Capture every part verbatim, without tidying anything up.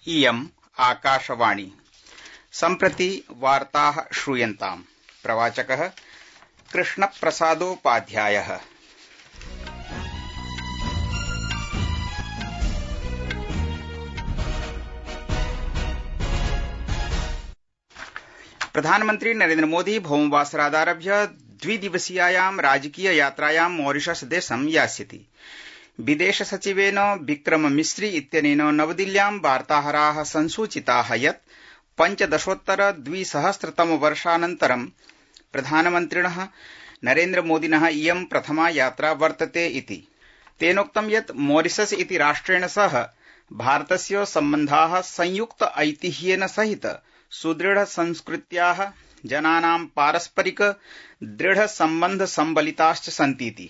इयम् आकाशवाणी। सम्प्रति वार्ताः श्रूयन्ताम्। प्रवाचकः कृष्णप्रसादोपाध्यायः। प्रधानमन्त्री नरेन्द्र मोदी भौमवासरादारभ्य द्विदिवसीयायां राजकीय यात्रायां मॉरिशस देशं यास्यति। विदेश सचिवेन विक्रम मिस्री इत्यनेन नवदिल्ल्यां वार्ताहराः संसूचिताः यत् पञ्चदशोत्तर द्विसहस्रतम वर्षानन्तरं प्रधानमन्त्रिणः नरेन्द्र मोदिनः इयं प्रथमा यात्रा वर्तते इति। तेनोक्तं यत् मॉरिशस इति राष्ट्रेण सह भारतस्य सम्बन्धाः संयुक्त ऐतिह्येन सहित सुदृढ संस्कृत्याः जनानां पारस्परिक दृढ सम्बन्ध सम्बलिताश्च सन्तीति।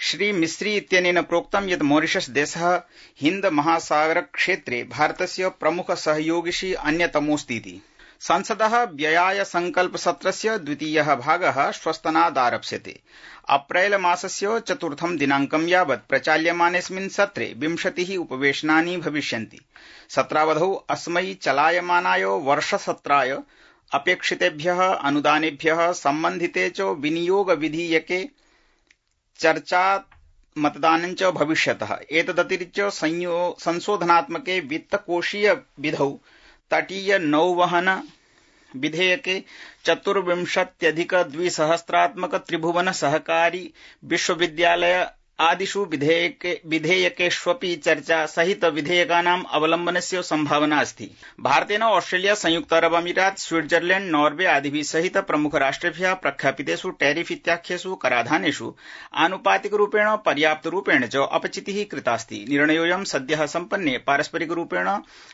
श्री मिस्री इत्यनेन प्रोक्तं यत् मॉरिशस देशः हिन्द महासागर क्षेत्रे भारतस्य प्रमुख सहयोगिषु अन्यतमोऽस्तीति। संसदः व्ययाय संकल्प सत्रस्य द्वितीयः भागः श्वस्तनादारप्स्यते। अप्रैल मासस्य चतुर्थं दिनाङ्कं यावत् प्रचाल्यमानेऽस्मिन् सत्रे विंशतिः उपवेशनानि भविष्यन्ति। सत्रावधौ अस्मै चलायमानाय वर्षसत्राय अपेक्षितेभ्यः अनुदानेभ्यः सम्बन्धिते च विनियोग विधीयके चर्चा मतदानं च भविष्यतः। एतदतिरिच्य संशोधनात्मके वित्तकोषीय विधौ तटीय नौवहन विधेयके चतुर्विंशत्यधिक द्विसहस्रात्मक त्रिभुवन सहकारी विश्वविद्यालय आदिषु विधेयकेष्वपि चर्चा सहित विधेयकानाम् अवलम्बनस्य सम्भावना अस्ति। भारतेन ऑस्ट्रेलिया, संयुक्त अरब अमीरात, स्विट्जरलैंड, नॉर्वे आदिभिः सहित प्रमुख राष्ट्रेभ्यः प्रख्यापितेषु टैरिफ इत्याख्येषु कराधानेषु आनुपातिकरूपेण पर्याप्तरूपेण च अपचितिः कृतास्ति। निर्णयोऽयं सद्यः सम्पन्ने पारस्परिकरूपेण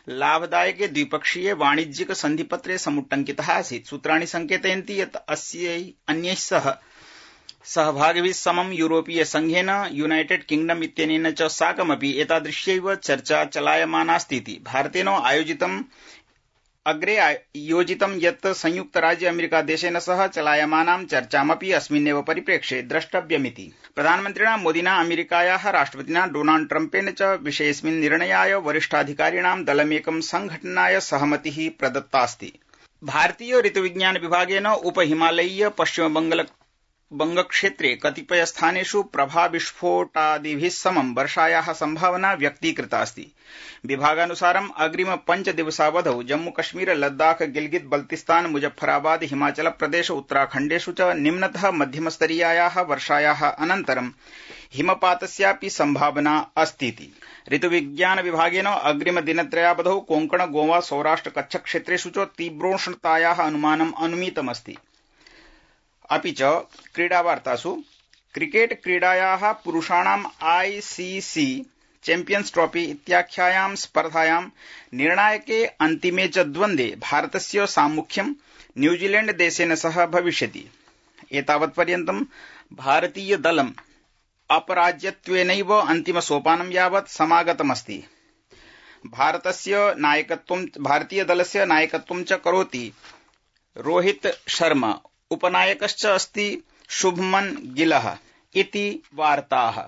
लाभदायके द्विपक्षीये वाणिज्यिक सन्धिपत्रे समुट्टङ्कितः आसीत्। सूत्राणि संकेतयन्ति यत् अस्यै अन्यैः सह सहभागिभिः समं यूरोपीय संघेन, यूनाइटेड किंगडम इत्यनेन च साकमपि एतादृश्यैव चर्चा चलायमानास्तीति। भारतेन आयोजितम् अग्रे योजितं यत् संयुक्त राज्य अमेरिका देशेन सह चलायमानां चर्चामपि अस्मिन्नेव परिप्रेक्ष्ये द्रष्टव्यमिति। प्रधानमन्त्रिणा मोदिना अमेरिकायाः राष्ट्रपतिना डोनाल्ड ट्रम्पेण च विषयेऽस्मिन् निर्णयाय वरिष्ठाधिकारिणां दलमेकं संघटनाय सहमतिः प्रदत्तास्ति। भारतीय ऋतुविज्ञान विभागेन उपहिमालयीय पश्चिमबंगाल बंगक्षेत्रे कतिपय स्थानेषु प्रभाविस्फोटादिभिः समं वर्षायाः सम्भावना व्यक्तीकृतास्ति। विभागानुसारम् अग्रिम पञ्चदिवसावधौ जम्मूकश्मीर, लद्दाख, गिलगित बल्तिस्तान, मुजफ्फराबाद, हिमाचल प्रदेश, उत्तराखण्डेषु च निम्नतः मध्यमस्तरीयायाः वर्षायाः अनन्तरं हिमपातस्यापि सम्भावना अस्तीति। ऋतुविज्ञान विभागेन अग्रिम दिनत्रयावधौ कोंकण, गोवा, सौराष्ट्र, कच्छ क्षेत्रेषु च तीव्रोष्णतायाः अनुमानम् अनुमीतमस्ति। अपि च क्रीडावार्तासु क्रिकेट क्रीडायाः पुरुषाणाम् आईसीसी चैम्पियन्स् ट्रॉफी इत्याख्यायां स्पर्धायां निर्णायके अन्तिमे च द्वन्द्वे भारतस्य साम्मुख्यं न्यूजीलैंड देशेन सह भविष्यति। एतावत्पर्यन्तं भारतीय दलम् अपराज्यत्वेनैव अन्तिम सोपानं यावत् समागतमस्ति। भारतस्य नायकत्वं भारतीय दलस्य नायकत्वं च करोति रोहित शर्मा, उपनायकश्च अस्ति शुभमन गिलः इति वार्ताः।